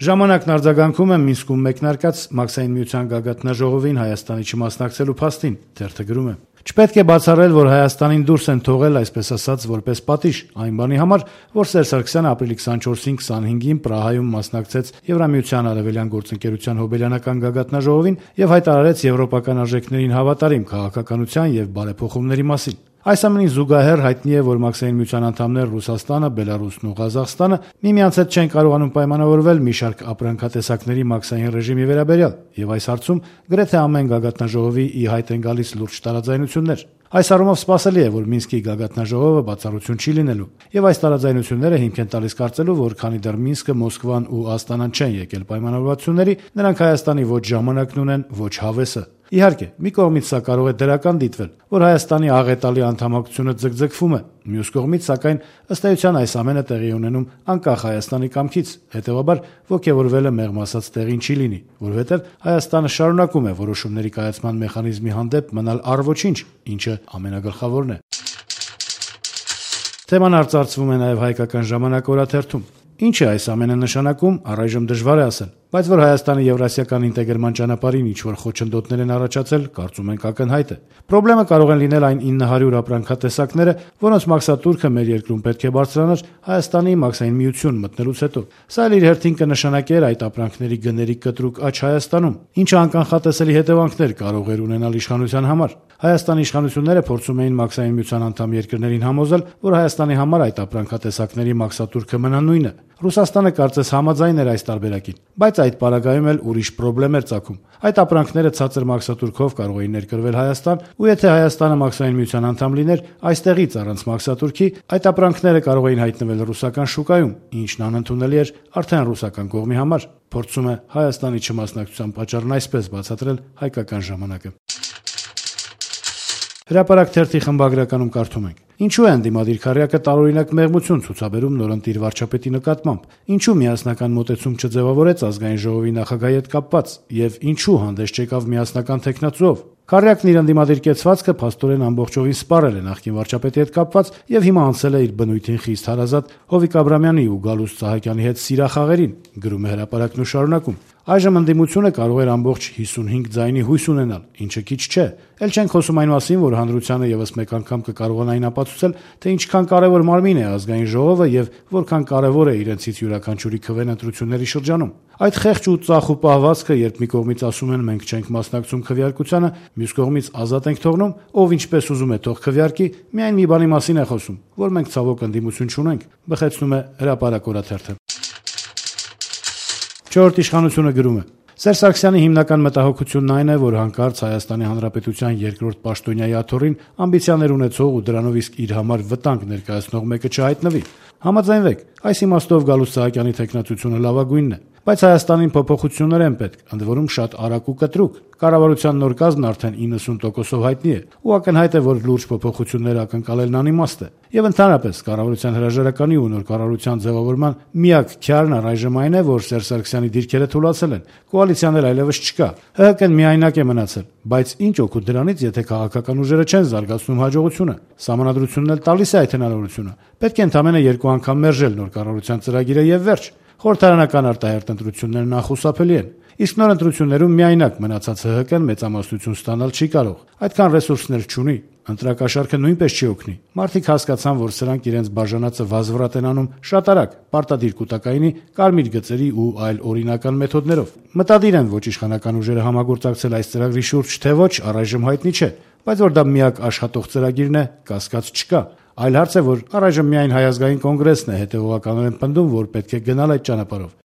Ժամանակն արձագանքում է Մինսկում մեկնարկած Մաքսային միության գագաթնաժողովին Հայաստանի չմասնակցելու փաստին, թերթը գրում է. «Չպետք է բացառել, որ Հայաստանին դուրս են թողել, այսպես ասած, որպես պատիժ այն բանի համար, որ Սերժ Սարգսյանը ապրիլի 24-ին 25-ին Պրահայում մասնակցեց Եվրամիության արևելյան գործընկերության հոբելյանական գագաթնաժողովին եւ հայտարարեց եվրոպական արժեքներին հավատարիմ քաղաքականության եւ բարեփոխումների մասին։ Այս ամենին զուգահեռ հայտնի է, որ Մաքսային միության անդամներ Ռուսաստանը, Բելարուսն ու Ղազախստանը միմյանց հետ չեն կարողանում պայմանավորվել մի շարք ապրանքատեսակների մաքսային ռեժիմի վերաբերյալ, եւ այս հարցում գրեթե ամեն գագաթնաժողովի ի հայտ են գալիս լուրջ տարաձայնություններ։ Այս առումով սպասելի է, որ Մինսկի գագաթնաժողովը բացառություն չի լինելու, եւ այս տարաձայնությունները հիմք են տալիս կարծելու, որ քանի դեռ Մինսկը, Մոսկվան ու Աստանան չեն եկել պայմանավորվածությունների, նրանք Հայաստանի ոչ ժամանակն ունեն, ոչ հավեսը։ Իհարկե, մի կողմից սա կարող է դրական դիտվել, որ Հայաստանի աղետալի անդամակցությունը ձգձգվում է, մյուս կողմից, սակայն, ըստ էության այս ամենը տեղի ունենում անկախ Հայաստանի կամքից, հետևաբար ոգևորվելը մեղմ ասած տեղին չի լինի, որովհետև Հայաստանը շարունակում է որոշումների կայացման մեխանիզմի հանդեպ մնալ առ-ոչինչ, ինչը ամենագլխավորն է»։ Թեման արծարծվում է նաև Հայկական ժամանակ օրաթերթում։ Ինչ է այս ամենը նշանակում, առայժմ դժվար է ասել, բայց որ Հայաստանի եվրասիական ինտեգրման ճանապարհին ինչ-որ խոչընդոտներ են առաջացել, կարծում ենք ակնհայտ է։ Պրոբլեմը կարող են լինել այն 900 ապրանքատեսակները, որոնց մաքսատուրքը մեր երկրում պետք է բարձրանար Հայաստանի մաքսային միություն մտնելուց հետո։ Սա էլ իր հերթին կնշանակեր այդ ապրանքների գների կտրուկ աճ Հայաստանում, ինչը անկանխատեսելի հետևանքներ կարող էր ունենալ իշխանության համար։ Հայաստանի իշխանությունները փորձում էին մաքսային միության անդամ երկրներին համոզել, որ Հայաստանի համար այդ ապրանքատեսակների մաքսատուրքը մնա նույնը։ Ռուսաստանը կարծես համաձայն էր այս տարբերակին, բայց այդ պարագայում էլ ուրիշ պրոբլեմ էր ծագում։ Այդ ապրանքները ցածր մաքսատուրքով կարող էին ներկրվել Հայաստան, ու եթե Հայաստանը մաքսային միության անդամ լիներ, այստեղից առանց մաքսատուրքի, այդ ապրանքները կարող էին հայտնվել ռուսական շուկայում, ինչն անընդունելի էր արդեն ռուսական կողմի համար։ Փորձում է Հայաստանի չմասնակցության պատճառն այսպես բացատրել Հայկական ժամանակը։ Հրապարակ թերթի խմբագրականում կարդում ենք. «Ինչու է ընդդիմադիր քառյակը տարօրինակ մեղմություն ցուցաբերում նորընտիր վարչապետի նկատմամբ, ինչու միասնական մոտեցում չձևավորեց ազգային ժողովի նախագահի հետ կապված եւ ինչու հանդես չեկավ միասնական թեկնածուով։ Քառյակն իր ընդդիմադիր կեցվածքը փաստորեն ամբողջովին սպառել է նախկին վարչապետի հետ կապված եւ հիմա անցել է իր բնույթին խիստ հարազատ Հովիկ Աբրամյանի ու Գալուստ Սահակյանի հետ սիրախաղերին», գրում է հրապարակն ու շարունակում. «Այժմ ընդդիմությունը կարող էր ամբողջ 55 ձայնի հույս ունենալ, ինչը քիչ չէ։ Էլ չենք խոսում այն մասին, որ հանրությանը եւս մեկ անգամ կկարողանային ապացուցել, թե ինչքան կարեւոր մարմին է ազգային ժողովը եւ որքան կարեւոր է իրենցից յուրաքանչյուրի քվեն ընտրությունների շրջանում։ Այդ խեղճ ու ծախու պահվածքը, երբ մի կողմից ասում են մենք չենք մասնակցում քվեարկությանը, մյուս կողմից ազատ ենք թողնում, ով ինչպես ուզում է թող քվեարկի, միայն մի բանի մասին է խոսում, որ մենք ցավոք ընդդիմություն չունենք», բխեցնում է Հրապարակ օրաթերթը։ Չորրորդ իշխանությունը գրում է. «Սերժ Սարգսյանի հիմնական մտահոգությունն այն է, որ հանկարծ Հայաստանի Հանրապետության երկրորդ պաշտոնյայի աթոռին ամբիցիաներ ունեցող ու դրանով իսկ իր համար վտանգ ներկայացնող մեկը չհայտնվի։ Համաձայնվեք, այս իմաստով Գալուստ Սահակյանի թեկնածությունը լավագույնն է, բայց Հայաստանին փոփոխություններ են պետք, ընդ որում շատ արագ ու կտրուկ։ Կառավարության նոր կազմն արդեն 90%-ով հայտնի է, ու ակնհայտ է, որ լուրջ փոփոխություններ ակնկալելն անիմաստ է։ Եվ ընդհանրապես կառավարության հրաժարականի ու նոր կառավարության ձևավորման միակ քյարն առայժմ այն է, որ Սերժ Սարգսյանի դիրքերը թուլացել են, կոալիցիաներ այլևս չկա, ՀՀԿ-ն միայնակ է մնացել, բայց ինչ օգուտ դրանից, եթե քաղաքական ուժերը չեն զարգացնում հաջողությունը։ Սահմանադրությունն էլ տալիս է այդ հնարավորությունը։ Պետք է ընդամենը 2 անգամ մերժել նոր կառավարության ծրագիրը եւ վերջ։ Խորհրդարանական արտահերտ ընտրություններն անխուսափելի են, իսկ նոր ընտրություններում միայնակ մնացած ՀՀԿ-ն մեծամասնություն ստանալ չի կարող, այդքան ռեսուրսներ չունի, ընտրակաշառքը նույնպես չի օգնի։ Մարդիկ հասկացան, որ սրանք իրենց բաժանածը վազվռատ են անում շատ արագ, պարտադիր կൂട്ടակայինի, կարմիր գծերի ու այլ օրինական մեթոդներով։ Մտադիր են ոչ իշխանական ուժերը համագործակցել այս ծրագրի շուրջ, թե ոչ, առայժմ հայտնի չէ, բայց որ դա միակ աշխատող ծրագիրն է, կասկած չկա։ Այլ հարց է, որ առայժմ միայն Հայ ազգային կոնգրեսն է հետևողականորեն պնդում, որ պետք է գնալ այդ ճանապարհով։